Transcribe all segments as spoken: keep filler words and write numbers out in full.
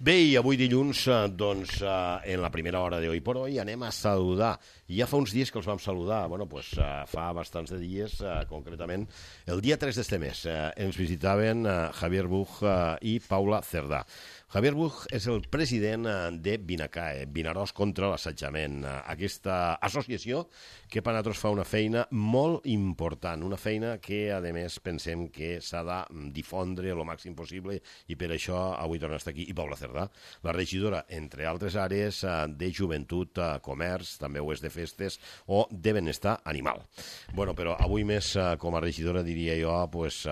Bé, i avui dilluns, doncs, en la primera hora de Hoy por Hoy anem a saludar. Ja fa uns dies que els vam saludar, bueno, pues, fa bastants de dies, concretament el dia tres d'este mes. Ens visitaven Javier Buch i Paula Cerdà. Javier Buch és el president de Vinacae, Vinaròs contra l'assetjament, aquesta associació que per nosaltres fa una feina molt important, una feina que, a més, pensem que s'ha de difondre el màxim possible i per això avui torna a estar aquí. I Paula Cerdà, la regidora, entre altres àrees, de joventut, comerç, també ho és de festes o de benestar animal. Bueno, però avui més com a regidora, diria jo, pues,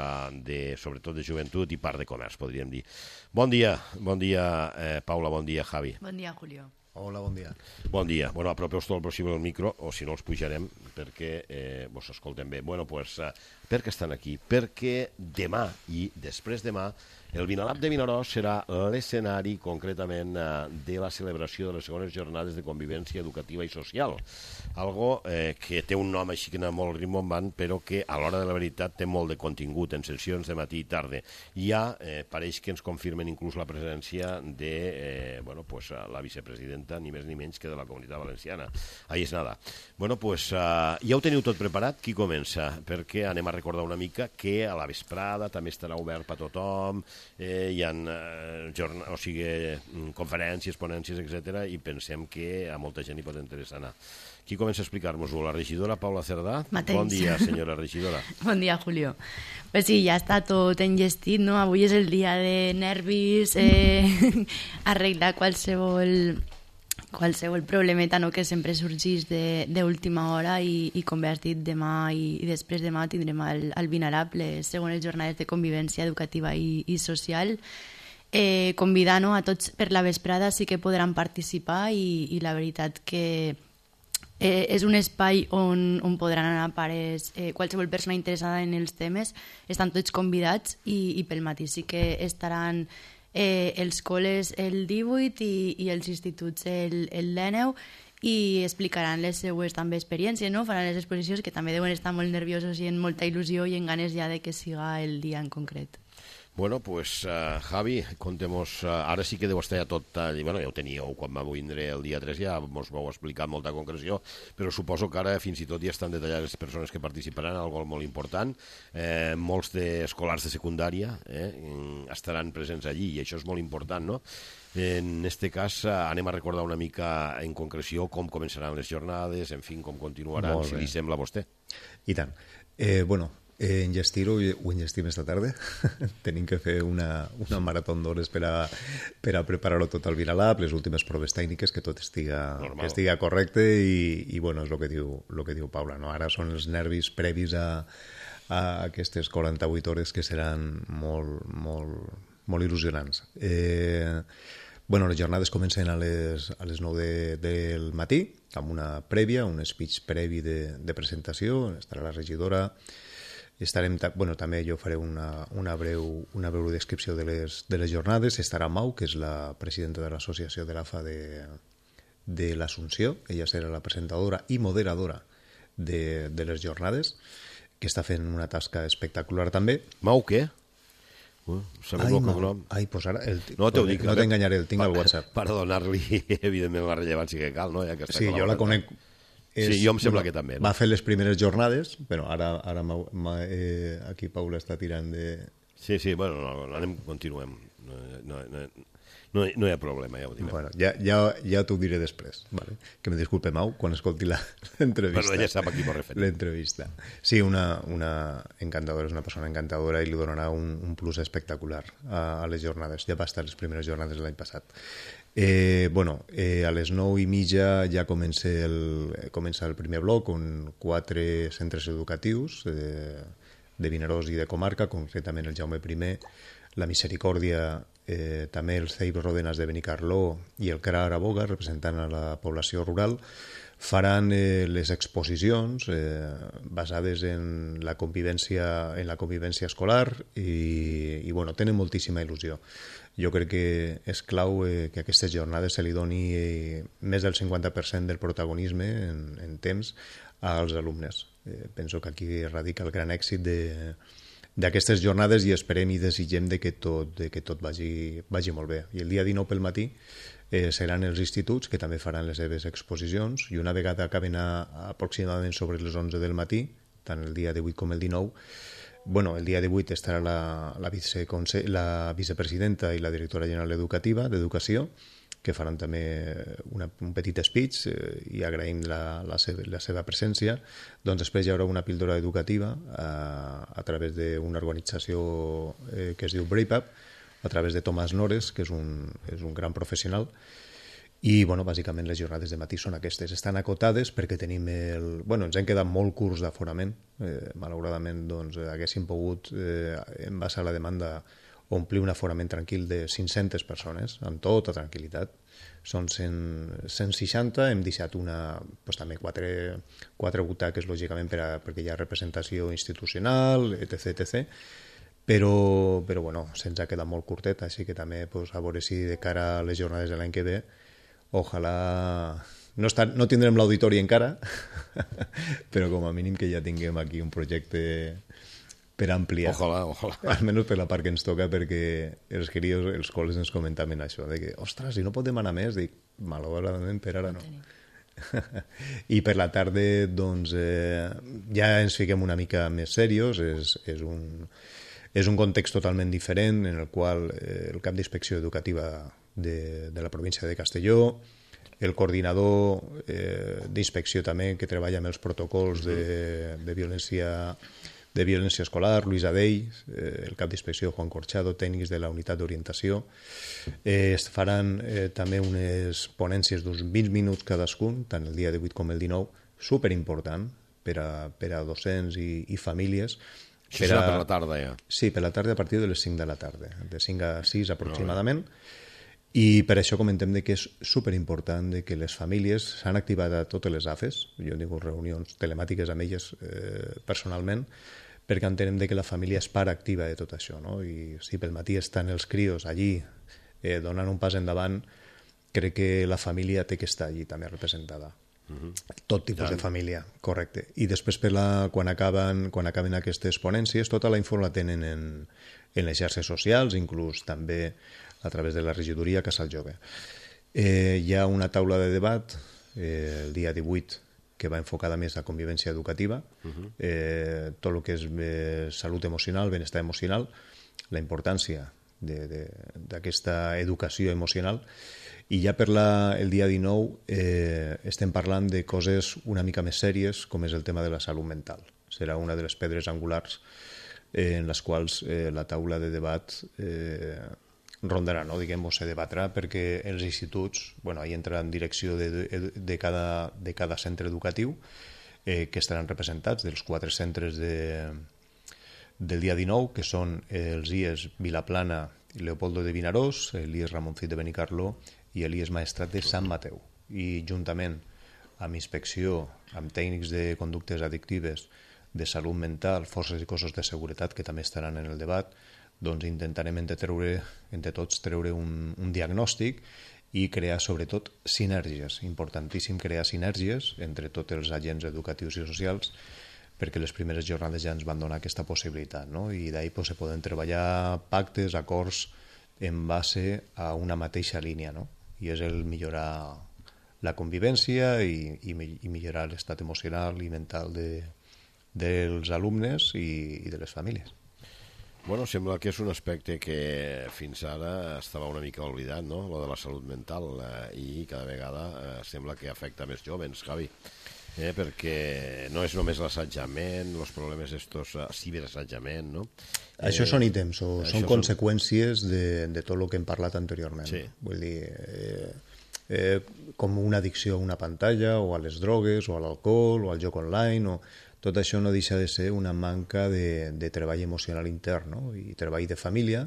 de, sobretot de joventut i part de comerç, podríem dir. Bon dia, bon dia, eh, Paula, bon dia, Javi. Bon dia, Julio. Hola, bon dia. Bon dia. Bueno, apropeu-vos tot el possible al micro, o si no els pujarem, perquè eh, vos escoltem bé. Bueno, pues, eh, per què estan aquí? Perquè demà i després demà el Vinalab de Vinaròs serà l'escenari, concretament, de la celebració de les segones jornades de convivència educativa i social. Algo eh, que té un nom així que anar molt rimbombant, però que a l'hora de la veritat té molt de contingut, en sessions de matí i tarda. I ja eh, pareix que ens confirmen inclús la presència de eh, bueno, pues, la vicepresidenta, ni més ni menys que de la Comunitat Valenciana. Ahí és nada. Bueno, pues, eh, ja ho teniu tot preparat? Qui comença? Perquè anem a recordar una mica que a la vesprada també estarà obert per tothom. Eh, hi ha eh, jorn... o sigui, conferències, ponències, etcètera, i pensem que a molta gent hi pot interessar anar. Qui comença a explicar-nos-ho? La regidora Paula Cerdà? Mateix. Bon dia, senyora regidora. Bon dia, Julio. Pues sí, ja està tot enllestit, no? Avui és el dia de nervis, eh, arreglar qualsevol qualsevol problemeta, no?, que sempre sorgís d'última hora i, i com bé has dit, demà i, i després demà tindrem al, al Vinalab les segones jornades de convivència educativa i, i social. Eh, convidar, no?, a tots per la vesprada, sí que podran participar i, i la veritat que eh, és un espai on, on podran anar pares, eh, qualsevol persona interessada en els temes, estan tots convidats i, i pel matí sí que estaran Eh, els col·les el divuit i, i els instituts el, el dinou i explicaran les seues també experiències, no? Faran les exposicions que també deuen estar molt nerviosos i amb molta il·lusió i en ganes ja de que siga el dia en concret. Bueno, pues, uh, Javi, contemos, uh, ara sí que deu estar ja tot, uh, bueno, ja ho teníeu quan va vindre el dia tres, ja us vau explicar amb molta concreció, però suposo que ara fins i tot ja estan detallades les persones que participaran, algo molt important. Eh, molts d'escolars de secundària eh, estaran presents allí i això és molt important, no? En este cas uh, anem a recordar una mica en concreció com començaran les jornades, en fi, com continuaran, si li sembla a vostè. I tant. Eh, bueno, Eh, enllestir-ho, ho enllestim esta tarda. Tenim que fer una, una marató d'hores per a, per a preparar-ho tot al Vinalab, les últimes proves tècniques, que tot estiga, que estiga correcte i, i bueno, és el que diu, el que diu Paula, no? Ara són els nervis previs a, a aquestes quaranta-vuit hores que seran molt, molt, molt il·lusionants. Eh, bueno, les jornades comencen a les, a les nou de, del matí, amb una prèvia, un speech previ de, de presentació, estarà la regidora. Estarem, bueno, també jo faré una, una, breu, una breu descripció de les, de les jornades. Estarà Mau, que és la presidenta de l'associació de l'A F A de, de l'Assumpció. Ella serà la presentadora i moderadora de, de les jornades, que està fent una tasca espectacular també. Mau què? Uh, ai, el Mau. Ai, pues ara el, no t'ho dic, no t'enganyaré, el tinc per, al WhatsApp. Per donar-li, evidentment, la rellevància que cal, no? Ja que està sí, jo la conec. És, sí, jo em sembla que també. No? Va fer les primeres jornades, però ara, ara ma, ma, eh, aquí Paula està tirant de... Sí, sí, bueno, no, no, anem, continuem. No, no, no, no, no hi ha problema, ja ho direm. Bueno, ja, ja, ja t'ho diré després, vale? Que me disculpe, Mau, quan escolti l'entrevista. Però ella sap a qui m'ho referir. L'entrevista. Sí, una, una encantadora, és una persona encantadora i li donarà un, un plus espectacular a, a les jornades. Ja va estar les primeres jornades l'any passat. Eh, bueno, eh, a les nou i mitja ja comença el, comença el primer bloc on quatre centres educatius de, de Vinaròs i de comarca, concretament el Jaume I, la Misericòrdia, eh, també els C E I B Rodenas de Benicarló i el C R A Araboga, representant a la població rural, faran eh, les exposicions eh, basades en la convivència, en la convivència escolar i, i bueno, tenen moltíssima il·lusió. Jo crec que és clau eh, que a aquestes jornades se li doni eh, més del cinquanta per cent del protagonisme en, en temps als alumnes. Eh, penso que aquí radica el gran èxit de, d'aquestes jornades i esperem i desitgem de que tot, de que tot vagi, vagi molt bé. I el dia dinou pel matí eh, seran els instituts que també faran les seves exposicions i una vegada acaben a, a aproximadament sobre les onze del matí, tant el dia divuit com el dinou, bueno, el dia divuit estarà la, la, viceconse la vicepresidenta i la directora general educativa d'Educació, que faran també una, un petit speech eh, i agraïm la, la, seva, la seva presència. Doncs després hi haurà una píldora educativa a, a través d'una organització eh, que es diu BraveUp, a través de Tomàs Nores, que és un, és un gran professional. I, bueno, bàsicament les jornades de matí són aquestes. Estan acotades perquè tenim el... Bueno, ens hem quedat molt curts d'aforament. Eh, malauradament, doncs, haguéssim pogut, eh, en base a la demanda, omplir un aforament tranquil de cinc-centes persones, amb tota tranquil·litat. Són cent, cent seixanta, hem deixat una, doncs, també quatre, quatre butaques, lògicament, per a, perquè hi ha representació institucional, etc etcètera. Però, però bueno, se'ns ha quedat molt curtet, així que també doncs, a veure si de cara a les jornades de l'any que ve, ojalà... No, està, no tindrem l'auditori encara, però com a mínim que ja tinguem aquí un projecte per ampliar. Ojalà, ojalà. Almenys per la part que ens toca, perquè els crios, els col·les ens comentaven això, de que, ostres, si no podem anar més, dic, malauradament per ara no. I per la tarda, doncs, eh, ja ens fiquem una mica més serios, és, és, un, és un context totalment diferent, en el qual eh, el cap d'inspecció educativa de, de la província de Castelló, el coordinador eh, d'inspecció també, que treballa amb els protocols de, de violència de violència escolar, Luis Adell, eh, el cap d'inspecció Juan Corchado, tècnics de la unitat d'orientació. Eh, es faran eh, també unes ponències d'uns vint minuts cadascun, tant el dia divuit com el dinou, superimportant per a, per a docents i, i famílies. Això per serà a... per la tarda, ja? Sí, per la tarda a partir de les cinc de la tarda, de cinc a sis aproximadament. No, I per això comentem que és superimportant que les famílies s'han activat a totes les A F Es, jo he tingut reunions telemàtiques amb elles eh, personalment, perquè entenem que la família és part activa de tot això, no? I si pel matí estan els crios allí eh, donant un pas endavant, crec que la família té que estar allí també representada. Uh-huh. Tot tipus ja. de família, correcte. I després, per la, quan, acaben, quan acaben aquestes ponències, tota la info la tenen en, en les xarxes socials, inclús també a través de la regidoria Casal Jove. Eh, hi ha una taula de debat eh, el dia divuit que va enfocada més a convivència educativa, uh-huh. eh, tot el que és eh, salut emocional, benestar emocional, la importància d'aquesta educació emocional, i ja per la, el dia dinou eh, estem parlant de coses una mica més sèries, com és el tema de la salut mental. Serà una de les pedres angulars eh, en les quals eh, la taula de debat eh, rondarà, no? Diguem-ho, se debatrà, perquè els instituts, bueno, hi entra en direcció de, de, de, cada, de cada centre educatiu, eh, que estaran representats dels quatre centres de, del dia dinou, que són els I E S Vilaplana i Leopoldo de Vinaròs, l'I E S Ramoncit de Benicarló i l'I E S Maestrat de Sant Mateu. I juntament amb inspecció, amb tècnics de conductes addictives, de salut mental, forces i cossos de seguretat, que també estaran en el debat, doncs intentarem entre, treure, entre tots treure un, un diagnòstic i crear sobretot sinergies. Importantíssim crear sinergies entre tots els agents educatius i socials, perquè les primeres jornades ja ens van donar aquesta possibilitat, no? I d'ahir pues, se poden treballar pactes, acords en base a una mateixa línia, no? I és el millorar la convivència i, i, i millorar l'estat emocional i mental de, dels alumnes i, i de les famílies. Bueno, sembla que és un aspecte que fins ara estava una mica oblidat, no?, lo de la salut mental, eh, i cada vegada eh, sembla que afecta més jovens, Javi, eh, perquè no és només l'assetjament, els problemes estos, eh, ciberassetjament, no? Això eh, són ítems, o són són... conseqüències de, de tot el que hem parlat anteriorment. Sí. Vull dir, eh, eh, com una addicció a una pantalla, o a les drogues, o a l'alcohol, o al joc online, o... Tot això no deixa de ser una manca de, de treball emocional intern, no? I treball de família,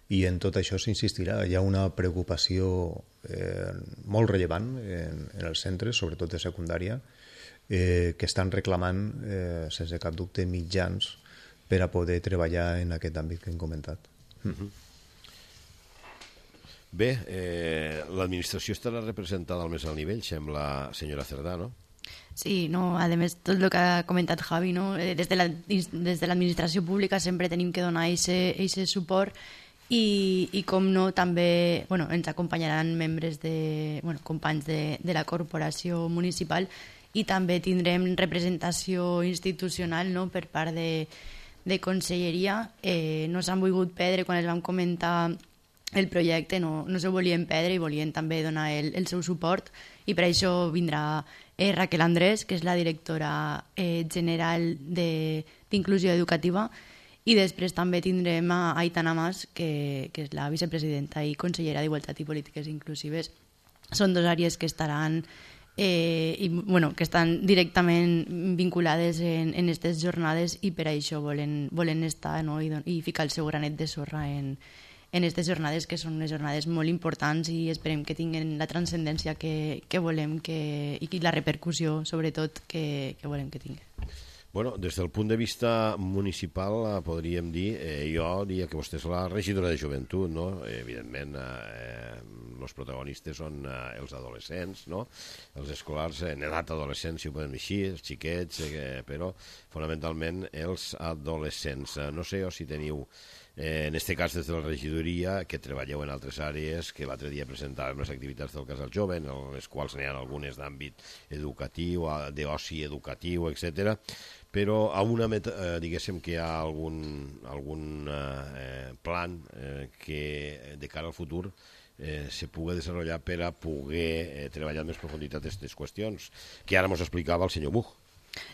i en tot això s'insistirà. Hi ha una preocupació eh, molt rellevant en, en els centres, sobretot de secundària, eh, que estan reclamant, eh, sense cap dubte, mitjans per a poder treballar en aquest àmbit que hem comentat. Uh-huh. Bé, eh, l'administració estarà representada al més alt nivell, sembla, senyora Cerdà, no? Sí, no, a més, tot el que ha comentat Javi, no? Des de la, des de l'administració pública sempre tenim que donar aquest suport i, i com no, també bueno, ens acompanyaran membres de, bueno, companys de, de la corporació municipal i també tindrem representació institucional, no?, per part de, de conselleria. Eh, no s'han volgut perdre quan els vam comentar el projecte, no, no s'ho volien perdre i volien també donar el, el seu suport i per això vindrà eh, Raquel Andrés, que és la directora eh, general d'inclusió educativa, i després també tindrem a Aitana Mas, que, que és la vicepresidenta i consellera d'Igualtat i Polítiques Inclusives. Són dues àrees que estaran eh, i, bueno, que estan directament vinculades en aquestes jornades i per això volen, volen estar, no?, i, i ficar el seu granet de sorra en en aquestes jornades, que són unes jornades molt importants i esperem que tinguin la transcendència que, que volem que, i la repercussió, sobretot, que, que volem que tinguin. Bueno, des del punt de vista municipal, podríem dir, eh, jo diria que vostè és la regidora de joventut, no? Eh, evidentment, eh, els protagonistes són eh, els adolescents, no? Els escolars en edat adolescent, si ho podem dir així, els xiquets, eh, però fonamentalment els adolescents. Eh, no sé jo si teniu... Eh, en aquest cas des de la regidoria, que treballeu en altres àrees, que l'altre dia presentàvem les activitats del Casal Jove, en les quals n'hi ha algunes d'àmbit educatiu, d'oci educatiu, etcètera. Però a una meta, eh, diguéssim que hi ha algun, algun eh, plan eh, que de cara al futur eh, se pugui desenvolupar per a poder eh, treballar amb més profunditat aquestes qüestions, que ara ens explicava el senyor Buch.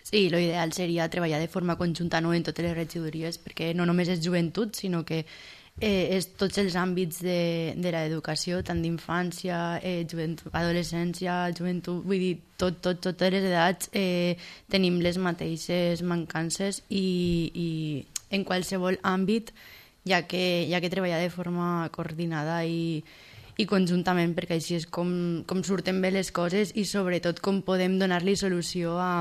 Sí, l'ideal seria treballar de forma conjunta, no?, en totes les regidories, perquè no només és joventut, sinó que eh, és tots els àmbits de, de l'educació, tant d'infància, eh, joventut, adolescència, joventut, vull dir, tot, tot, totes les edats eh, tenim les mateixes mancances i, i en qualsevol àmbit hi ha que, hi ha que treballar de forma coordinada i, i conjuntament, perquè així és com, com surten bé les coses i sobretot com podem donar-li solució a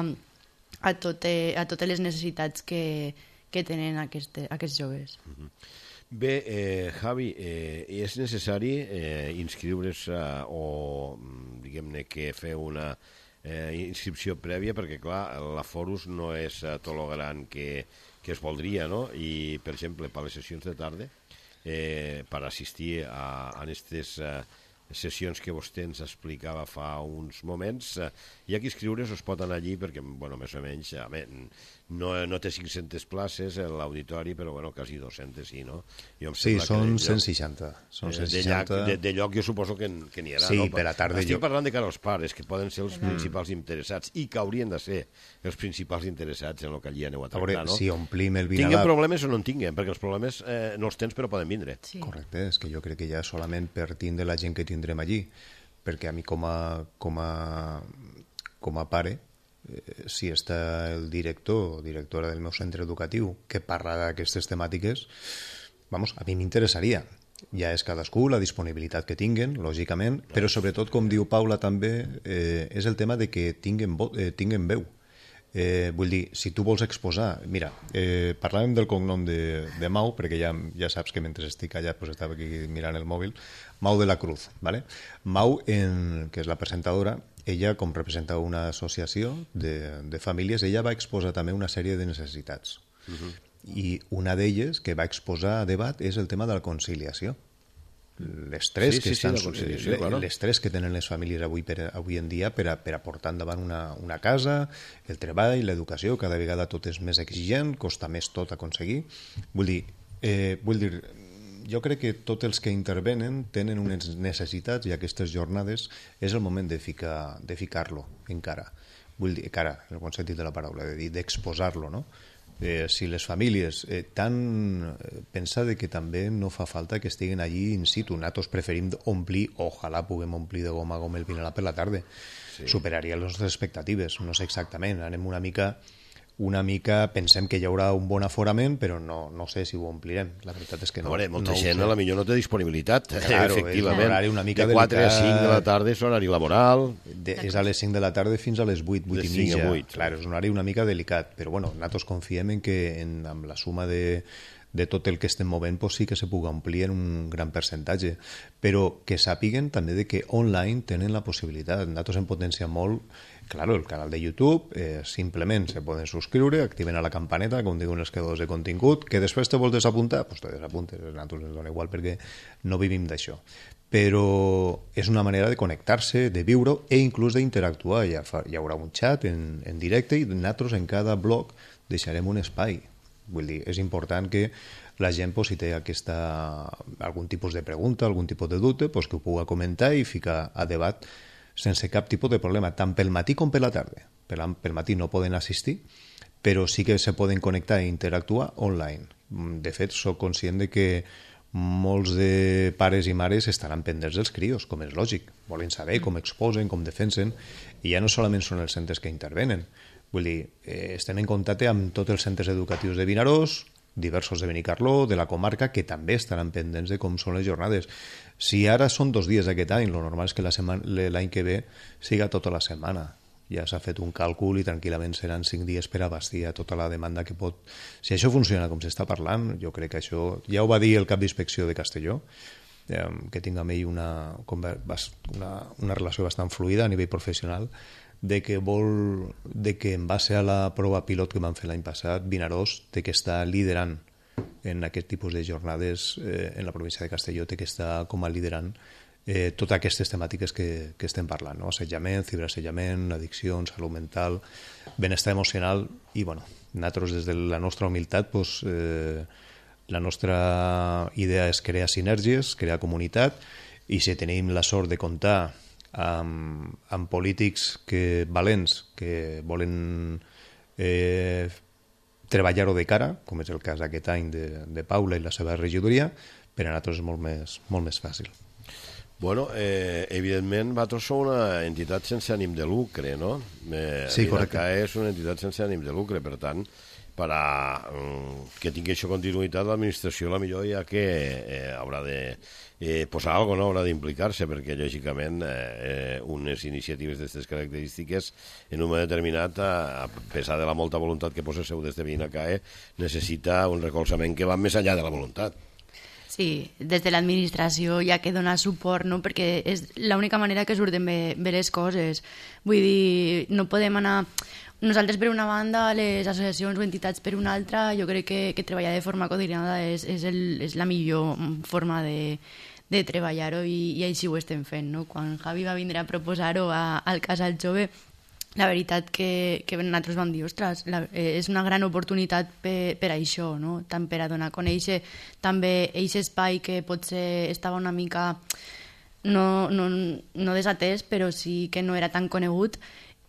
a, tote, a totes les necessitats que, que tenen aquestes, aquests joves. Uh-huh. Bé, eh, Javi, eh, és necessari eh, inscriure's eh, o, diguem-ne, que fer una eh, inscripció prèvia, perquè, clar, la Forus no és eh, tot lo gran que, que es voldria, no? I, per exemple, per les sessions de tarda, eh, per assistir a, a aquestes eh, sessions que vostè ens explicava fa uns moments, eh, hi ha que inscriure's, es pot anar allí perquè, bueno, més o menys, a més, no, no té cinc-centes places en l'auditori, però, bueno, quasi dos-centes, sí, no? Jo sí, són cent seixanta. Són cent seixanta. De, de lloc jo suposo que, que n'hi haurà, sí, no? Per a tarda Estic jo... parlant de cara als pares, que poden ser els mm. principals interessats i que haurien de ser els principals interessats en el que allí aneu a tractar, veure, no? Si omplim el Vinalab... Tinguem problemes o no en tinguem, perquè els problemes eh, no els tens però poden vindre. Sí. Correcte, és que jo crec que ja solament per tindre la gent que tindrem allí, perquè a mi com a, com a, com a pare, eh, si està el director o directora del meu centre educatiu que parla d'aquestes temàtiques, vamos, a mi m'interessaria. Ja és cadascú la disponibilitat que tinguen, lògicament, però sobretot, com diu Paula també, eh, és el tema de que tinguen, eh, tinguen veu. Eh, vull dir, si tu vols exposar... Mira, eh, parlàvem del cognom de, de Mau, perquè ja, ja saps que mentre estic allà pues, estava aquí mirant el mòbil. Mau de la Cruz, ¿vale? Mau, en, que és la presentadora, ella, com representa una associació de, de famílies, ella va exposar també una sèrie de necessitats. Uh-huh. I una d'elles que va exposar a debat és el tema de la conciliació. L'estrès sí, que, sí, estan, sí, claro. l'estrès que tenen les famílies avui, per, avui en dia per a, per a portar endavant una, una casa, el treball, l'educació, cada vegada tot és més exigent, costa més tot aconseguir. Vull dir, eh, vull dir, jo crec que tots els que intervenen tenen unes necessitats i aquestes jornades és el moment de, ficar, de ficar-lo encara. Vull dir, encara, en el bon sentit de la paraula, de dir, d'exposar-lo, no? Eh, si les famílies eh, tan eh, pensa de que també no fa falta que estiguin allí in situ, nosaltres preferim omplir, ojalà puguem omplir de goma a goma el Vinalab per la tarda, sí. Superaria les nostres expectatives, no sé exactament, anem una mica una mica, pensem que hi haurà un bon aforament, però no, no sé si ho omplirem. La veritat és que no. A veure, molta no gent a la millor no té disponibilitat, claro, efectivament. Una mica de quatre delicat. a cinc de la tarda és horari laboral. De, és a les cinc de la tarda fins a les vuit, vuit i mitja. vuit. Claro, és un horari una mica delicat, però bueno, nosaltres confiem en que en, amb la suma de, de tot el que estem movent pues sí que se pugui omplir en un gran percentatge, però que sàpiguen també de que online tenen la possibilitat. Nosaltres hem potenciat molt, claro, el canal de YouTube, eh, simplement se poden subscriure, activen a la campaneta, com diuen els creadors de contingut, que després te vols desapuntar, doncs pues te desapuntes, a nosaltres ens dona igual perquè no vivim d'això. Però és una manera de connectar-se, de viure e inclús d'interactuar. Hi, ha, hi haurà un xat en, en directe i nosaltres en cada blog deixarem un espai. Vull dir, és important que la gent, pues, si té aquesta, algun tipus de pregunta, algun tipus de dubte, pues, que ho pugui comentar i ficar a debat sense cap tipus de problema, tant pel matí com per la tarda. Pel, pel matí no poden assistir, però sí que se poden connectar i interactuar online. De fet, soc conscient de que molts de pares i mares estaran pendents dels crios, com és lògic. Volen saber com exposen, com defensen, i ja no solament són els centres que intervenen. Vull dir, eh, estem en contacte amb tots els centres educatius de Vinaròs, diversos de Benicarló, de la comarca, que també estaran pendents de com són les jornades. Si ara són dos dies aquest any, el normal és que l'any que ve siga tota la setmana. Ja s'ha fet un càlcul i tranquil·lament seran cinc dies per abastir a tota la demanda que pot... Si això funciona com s'està parlant, jo crec que això... Ja ho va dir el cap d'inspecció de Castelló, eh, que tinc amb ell una, una, una relació bastant fluida a nivell professional, de que vol, de que en base a la prova pilot que van fer l'any passat, Vinaròs té que estar liderant en aquest tipus de jornades eh, en la província de Castelló, té que estar com a liderant Eh, totes aquestes temàtiques que, que estem parlant, no? Assetjament, ciberassetjament, addiccions, salut mental, benestar emocional, i bueno, nosaltres des de la nostra humilitat, pues, eh, la nostra idea és crear sinergies, crear comunitat, i si tenim la sort de comptar amb, amb polítics que, valents que volen eh, treballar-ho de cara, com és el cas aquest any de, de Paula i la seva regidoria, per a nosaltres és molt més, molt més fàcil. Bueno, eh, evidentment, vosaltres sou una entitat sense ànim de lucre, no? Eh, sí, correcte. L'I N A C A E és una entitat sense ànim de lucre, per tant, per a um, que tingui això continuïtat, l'administració la millor ja que eh, haurà de eh, posar alguna cosa, no? Haurà d'implicar-se, perquè, lògicament, eh, unes iniciatives d'aquestes característiques, en un moment determinat, a, a pesar de la molta voluntat que poseu des de l'I N A C A E, necessita un recolzament que va més enllà de la voluntat. Sí, des de l'administració hi ha que donar suport, no? Perquè és l'única manera que surten bé, bé les coses. Vull dir, no podem anar... Nosaltres per una banda, les associacions o entitats per una altra, jo crec que, que treballar de forma coordinada és, és, el, és la millor forma de, de treballar-ho, i, i així ho estem fent, no? Quan Javi va vindre a proposar-ho al Casal Jove, la veritat que, que nosaltres vam dir, ostres, la, eh, és una gran oportunitat per, per això, no? Tant per a donar a conèixer també aquest espai que potser estava una mica no, no, no desatès, però sí que no era tan conegut,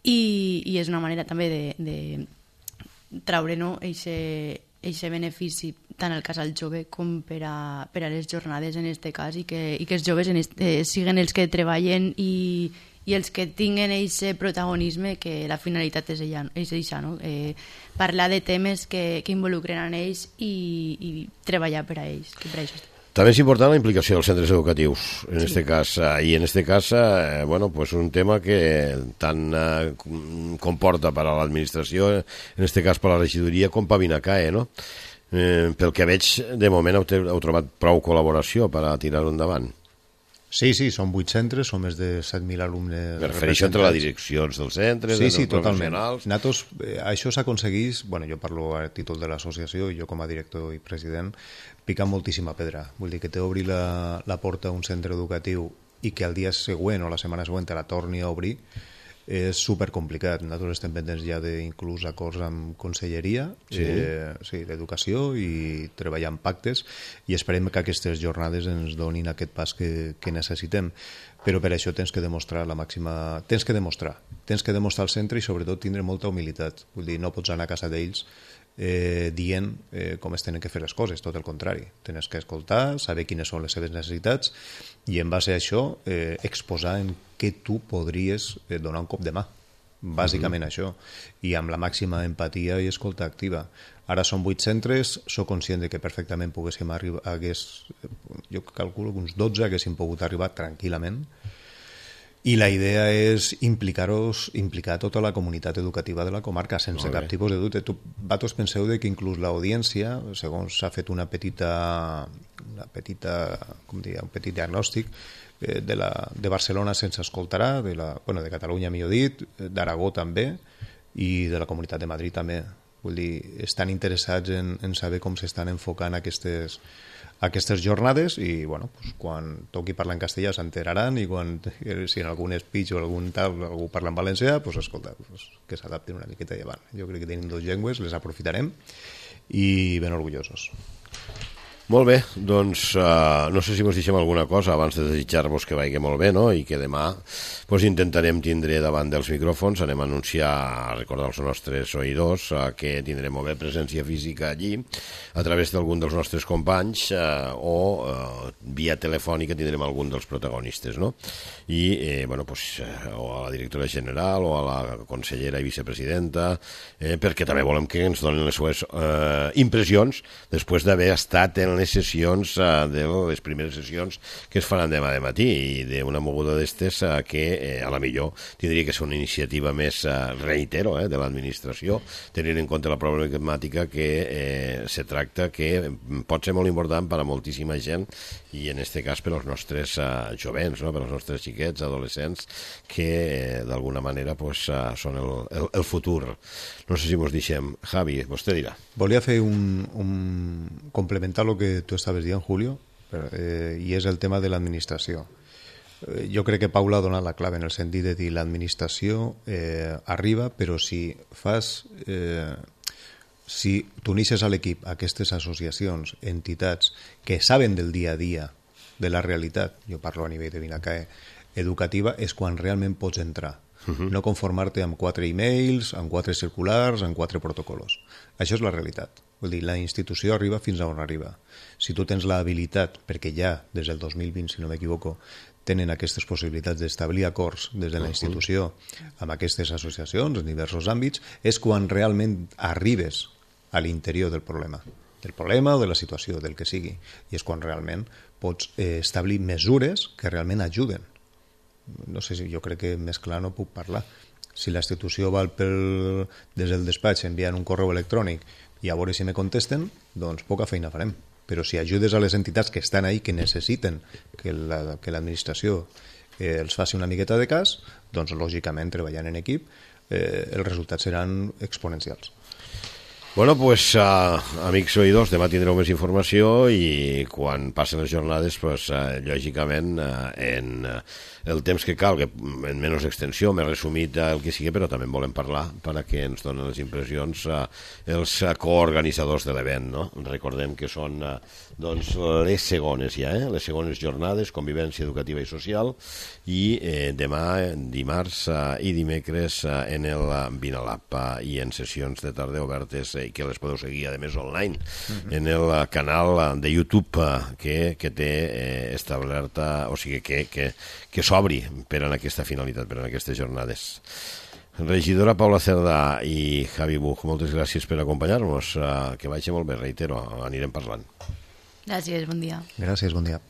i, i és una manera també de, de traure, no, aquest benefici tant al Casal Jove com per a, per a les jornades en aquest cas, i que, i que els joves en este, siguen els que treballen i i els que tinguen aquest protagonisme, que la finalitat és ella, és això, no? Eh, parlar de temes que, que involucren en ells i, i treballar per a ells. Que per això està. També és important la implicació dels centres educatius, en sí. este cas, i en este cas, eh, bueno, pues un tema que tant eh, comporta per a l'administració, en este cas per a la regidoria, com per a I N A C A E, no? Eh, pel que veig, de moment heu, heu trobat prou col·laboració per a tirar-ho endavant. Sí, sí, són vuit centres, són més de set mil alumnes. Me refereixo entre les direccions dels centres, sí, dels sí, totalment. professionals... Nosaltres, eh, això s'aconsegueix, bueno, jo parlo a títol de l'associació, i jo com a director i president, picant moltíssima pedra. Vull dir que t'obri la, la porta a un centre educatiu i que al dia següent o la setmana següent te la torni a obrir, és supercomplicat. Nosaltres estem pendents ja d'inclús acords amb conselleria, sí. Eh, sí, d'educació, i treballar en pactes, i esperem que aquestes jornades ens donin aquest pas que, que necessitem. Però per això tens que demostrar la màxima... Tens que demostrar. Tens que demostrar al centre i sobretot tindre molta humilitat. Vull dir, no pots anar a casa d'ells eh, dient eh, com es tenen que fer les coses, tot el contrari. Tens que escoltar, saber quines són les seves necessitats, i en base a això eh, exposar en què tu podries eh, donar un cop de mà. Bàsicament uh-huh. això. I amb la màxima empatia i escolta activa. Ara són vuit centres, soc conscient de que perfectament poguéssim arribar, hagués, jo calculo que uns dotze haguéssim pogut arribar tranquil·lament, I la idea és implicar-os, implicar tota la comunitat educativa de la comarca, sense cap tipus de dubte. Tu, vosaltres penseu de que inclús l'audiència, segons s'ha fet una petita, una petita, com diria, un petit diagnòstic, eh, de, la, de Barcelona se'ns escoltarà, de, la, bueno, de Catalunya millor dit, d'Aragó també, i de la Comunitat de Madrid també. Vull dir, estan interessats en, en saber com s'estan enfocant aquestes aquestes jornades i bueno, pues, quan toqui parlar en castellà s'enteraran i quan, si en algun speech o algun tal algú parla en valencià, pues, escolta, pues, que s'adaptin una miqueta i avant. Jo crec que tenim dues llengües, les aprofitarem i ben orgullosos. Molt bé, doncs uh, no sé si vos deixem alguna cosa abans de desitjar-vos que vagi molt bé, no? I que demà pues, intentarem tindre davant dels micròfons, anem a anunciar, a recordar als nostres oïdors uh, que tindrem molt bé presència física allí a través d'algun dels nostres companys uh, o uh, via telefònica tindrem algun dels protagonistes, no? I, eh, bueno, pues, uh, o a la directora general o a la consellera i vicepresidenta, eh, perquè també volem que ens donin les seues uh, impressions després d'haver estat en les sessions, uh, de les primeres sessions que es faran demà de matí i d'una moguda d'estes uh, que eh, a la millor tindria que ser una iniciativa més, uh, reitero, eh, de l'administració, tenint en compte la problemàtica que eh, se tracta, que pot ser molt important per a moltíssima gent i en aquest cas per als nostres uh, jovents, no? Per als nostres xiquets, adolescents, que eh, d'alguna manera pues, uh, són el, el, el futur. No sé si vos deixem. Javi, vostè dirà. Volia fer un, un complementar el que tu estaves dient, Julio, eh, i és el tema de l'administració. Eh, jo crec que Paula ha donat la clave en el sentit de dir l'administració eh, arriba, però si fas... Eh, si t'unixes a l'equip aquestes associacions, entitats que saben del dia a dia, de la realitat, jo parlo a nivell de Vinacae, educativa, és quan realment pots entrar. Uh-huh. No conformar-te amb quatre e-mails, amb quatre circulars, amb quatre protocols. Això és la realitat. Vull dir, la institució arriba fins a on arriba. Si tu tens l'habilitat, perquè ja des del dos mil vint, si no m'equivoco, tenen aquestes possibilitats d'establir acords des de la institució amb aquestes associacions en diversos àmbits, és quan realment arribes a l'interior del problema, del problema o de la situació, del que sigui. I és quan realment pots eh, establir mesures que realment ajuden. No sé si jo crec que més clar no puc parlar. Si la institució val pel, des del despatx enviant un correu electrònic i a veure si me contesten, doncs poca feina farem. Però si ajudes a les entitats que estan ahí, que necessiten que la, que l'administració eh, els faci una miqueta de cas, doncs lògicament treballant en equip eh, els resultats seran exponencials. Bueno, pues, uh, amics oïdors, demà tindreu més informació i quan passen les jornades, pues, uh, lògicament, uh, en uh, el temps que cal, que en menys extensió, més resumit uh, el que sigui, però també en volem parlar perquè ens donen les impressions uh, els uh, coorganitzadors de l'event, no? Recordem que són uh, doncs, les segones ja, eh? les segones jornades, convivència educativa i social, i eh, demà, dimarts uh, i dimecres uh, en el uh, Vinalab uh, i en sessions de tarda obertes eh, que les podeu seguir, a més, online, uh-huh. en el uh, canal uh, de YouTube uh, que, que té eh, establerta, o sigui, que, que, que s'obri per a aquesta finalitat, per a aquestes jornades. Regidora Paula Cerdà i Javi Buch, moltes gràcies per acompanyar-nos. Uh, que vagi molt bé, reitero, anirem parlant. Gràcies, bon dia. Gràcies, bon dia.